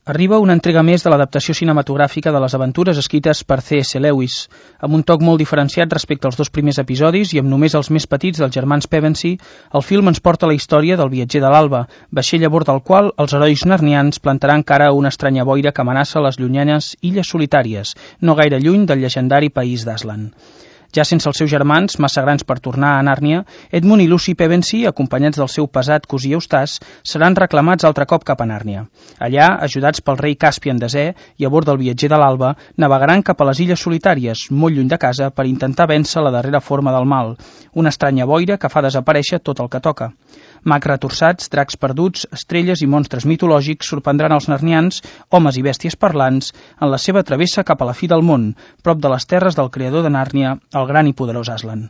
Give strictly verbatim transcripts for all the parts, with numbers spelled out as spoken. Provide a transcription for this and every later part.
Arriba una entrega més de l'adaptació cinematogràfica de les aventures escrites per C S Lewis, amb un toc molt diferenciat respecte als dos primers episodis i amb només els més petits dels germans Pevensey. El film ens porta la història del viatger de l'Alba, vaixell a bord del qual els herois narnians plantaran cara a una estranya boira que amenaça les llunyanes illes solitàries, no gaire lluny del llegendari país d'Aslan. Ja sense els seus germans, massa grans per tornar a Nàrnia, Edmund i Lucy Pevensey, acompanyats del seu pesat cosí Eustace, seran reclamats altre cop cap a Nàrnia. Allà, ajudats pel rei Caspian desè i a bord del viatger de l'Alba, navegaran cap a les illes solitàries, molt lluny de casa, per intentar vèncer la darrera forma del mal, una estranya boira que fa desaparèixer tot el que toca. Mags retorçats, dracs perduts, estrelles i monstres mitològics sorprendran els narnians, homes i bèsties parlants, en la seva travessa cap a la fi del món, prop de les terres del creador de Nàrnia, el gran i poderós Aslan.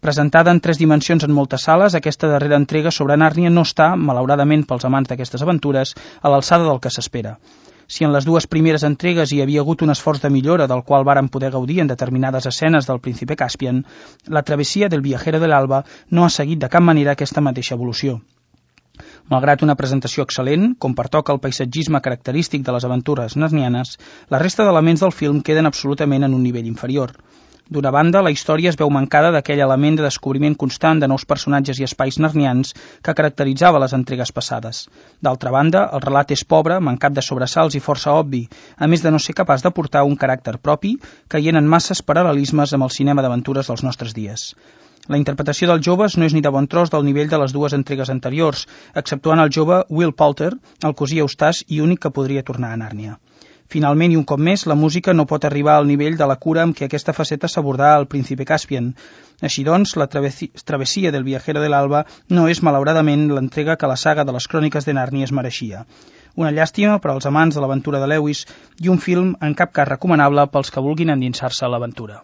Presentada en tres dimensions en moltes sales, aquesta darrera entrega sobre Nàrnia no està, malauradament pels amants d'aquestes aventures, a l'alçada del que s'espera. Si en les dues primeres entregues hi havia hagut un esforç de millora del qual varen poder gaudir en determinades escenes del príncipe Caspian, la travessia del viajero de l'Alba no ha seguit de cap manera aquesta mateixa evolució. Malgrat una presentació excel·lent, com pertoca el paisatgisme característic de les aventures narnianes, la resta d'elements del film queden absolutament en un nivell inferior. D'una banda, la història es veu mancada d'aquell element de descobriment constant de nous personatges i espais narnians que caracteritzava les entregues passades. D'altra banda, el relat és pobre, mancat de sobresalts i força obvi, a més de no ser capaç de portar un caràcter propi, caient en masses paral·lelismes amb el cinema d'aventures dels nostres dies. La interpretació dels joves no és ni de bon tros del nivell de les dues entregues anteriors, exceptuant el jove Will Poulter, el cosí Eustace i únic que podria tornar a Nàrnia. Finalment, i un cop més, la música no pot arribar al nivell de la cura amb què aquesta faceta s'abordà al príncipe Caspian. Així doncs, la travessia del viajero de l'Alba no és, malauradament, l'entrega que la saga de les cròniques de Nàrnia es mereixia. Una llàstima per als amants de l'aventura de Lewis i un film en cap cas recomanable pels que vulguin endinsar-se a l'aventura.